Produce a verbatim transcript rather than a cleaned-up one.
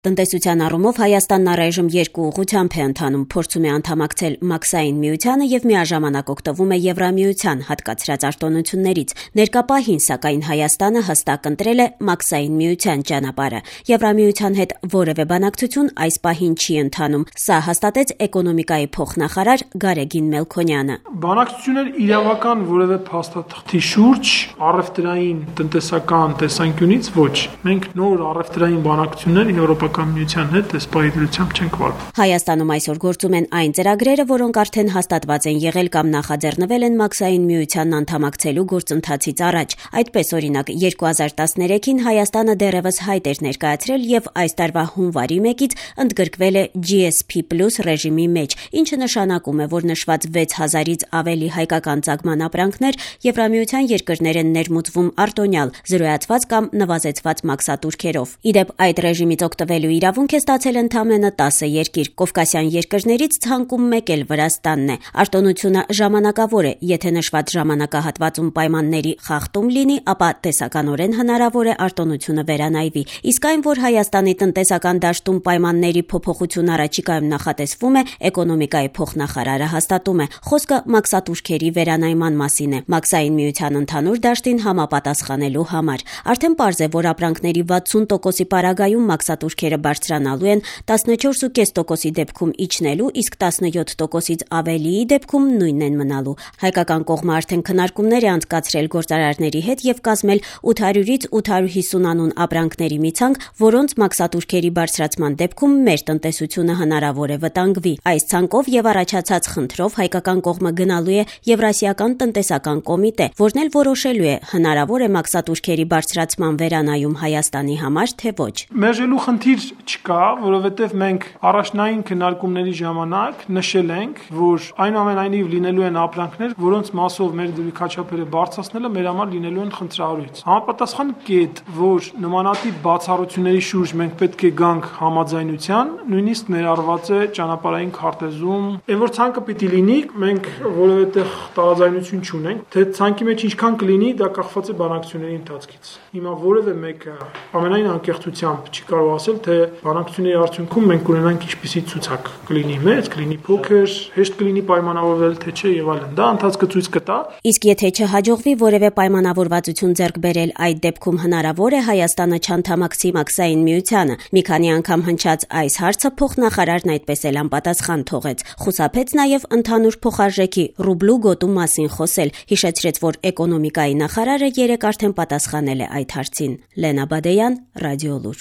Տնտեսության առումով Հայաստանն առայժմ երկու ուղղությամբ է ընթանում, փորձում է անդամակցել Մաքսային միությանը եւ միաժամանակ օգտվում է Եվրամիության հատկացրած արտոնություններից։ Ներկա պահին, սակայն, Հայաստանը հստակ ընտրել է Մաքսային միության ճանապարհը։ Եվրամիության հետ որևէ բանակցություն այս պահին չի ընթանում։ Սա հաստատեց էկոնոմիկայի փոխնախարար Գարեգին Մելքոնյանը։ Բանակցություններ իրավական որևէ փաստաթղթի շուրջ առևտրային տնտեսական տեսանկյունից ոչ։ Մենք նոր առևտրային բանակցություններ Եվրոպա Միության հետ դեսպայդրությամբ չենք վարվում։ Հայաստանում այսօր գործում են այն ծրագրերը, որոնք արդեն հաստատված են եղել կամ նախաձեռնվել են Մաքսային միությանն անդամակցելու գործընթացից առաջ։ Այդպես, օրինակ, երկու հազար տասներեքին Հայաստանը դեռևս հայտ էր ներկայացրել եւ այս տարվա հունվարի մեկից ընդգրկվել է G S P plus ռեժիմի մեջ, ինչը նշանակում է, որ նշված վեց հազարից ավելի հայկական ծագման ապրանքներ Եվրամիության երկրներ են ներմուծվում արտոնյալ, զրոյացված կամ նվազեցված մաքսատուրքերով։ Իդեպ այդ ռեժիմից օգտվելու իրավունք է ստացել ընդամենը տասը երկիր։ Կովկասյան երկրներից ցանկում մեկ էլ Վրաստանն է։ Արտոնությունը ժամանակավոր է, եթե նշված ժամանակահատվածում պայմանների խախտում լինի, ապա տեսականորեն հնարավոր է արտոնությունը վերանայվի։ Իսկ այն, որ Հայաստանի տնտեսական դաշտում պայմանների փոփոխություն առաջիկայում նախատեսվում է, էկոնոմիկայի փոխնախարարը հաստատում է։ Խոսքը մաքսատուրքերի վերանայման մասին է, Մաքսային միության ընդհանուր դաշտին համապատասխանելու համար։ Արդեն պարզ է, որ ապրանքների վաթսուն տոկոսի պարագայում մաքսատուրքերը բարձրանալու են, տասնչորս փոքր կես տոկոսի դեպքում իջնելու, իսկ տասնյոթ տոկոսից ավելիի դեպքում նույնն են մնալու։ Հայկական կողմը արդեն քննարկումներ է անցկացրել գործարարների հետ եւ կազմել ութ հարյուրից ութ հարյուր հիսուն անուն ապրանքների մի ցանկ, որոնց մաքսատուրքերի բարձրացման դեպքում մեր տնտեսությունը հնարավոր է վտանգվի։ Այս ցանկով եւ առաջացած խնդրով հայկական կողմը գնալու է Եվրասիական տնտեսական կոմիտե, որն էլ որոշելու է հնարավոր է մաքսատուրքերի բարձրացման վերանայում Հայաստանի համար, թե ոչ։ Մերժելու խնդիր չկա, որովհետև մենք առաջնային քննարկումների ժամանակ նշել ենք, որ այնուամենայնիվ լինելու են ապրանքներ, որոնց մասով մեր դրույքաչափերը բարձրացնելը մեր համար լինելու են խնդրահարույց։ Համապատասխան կետ, որ նմանատիպ բացառությունների շուրջ մենք պետք է գանք համաձայնության, նույնիսկ ներառված է ճանապարհային քարտեզում։ Այն որ ցանկը պիտի լինի, մենք որևէ տեղ տարաձայնություն չունենք, թե ցանկի մեջ ինչքան կլինի, դա կախված է բանակցությունների ընթացքից։ Հիմա որևէ մեկը ամենայն անկեղծությամբ չի կարող ասել, թե բանակցությունների արդյունքում մենք կունենանք ինչպիսի ցուցակ կլինի մեծ, կլինի փոքր, հեշտ կլինի պայմանավորվել, թե չէ եւ այլն։ Դա ընթացքը ցույց կտա։ Իսկ եթե չհաջողվի որևէ պայմանավորվածություն ձեռք բերել, այդ դեպքում հնարավոր է Հայաստանը չանդամակցի Մաքսային միությանը։ Մի քանի անգամ հնչած այս հարցը փոխնախարարն այդպես էլ անպատասխան թողեց։ Խուսափեց նաեւ ընդհանուր փոխարժեքի ռուբլու գոտու մասին խոսել, հիշեցրեց, որ էկոնոմիկայի նախարարը երեկ արդեն պատասխանել է այդ հարցին։ Լենա Բադեյան, Ռադիոլուր։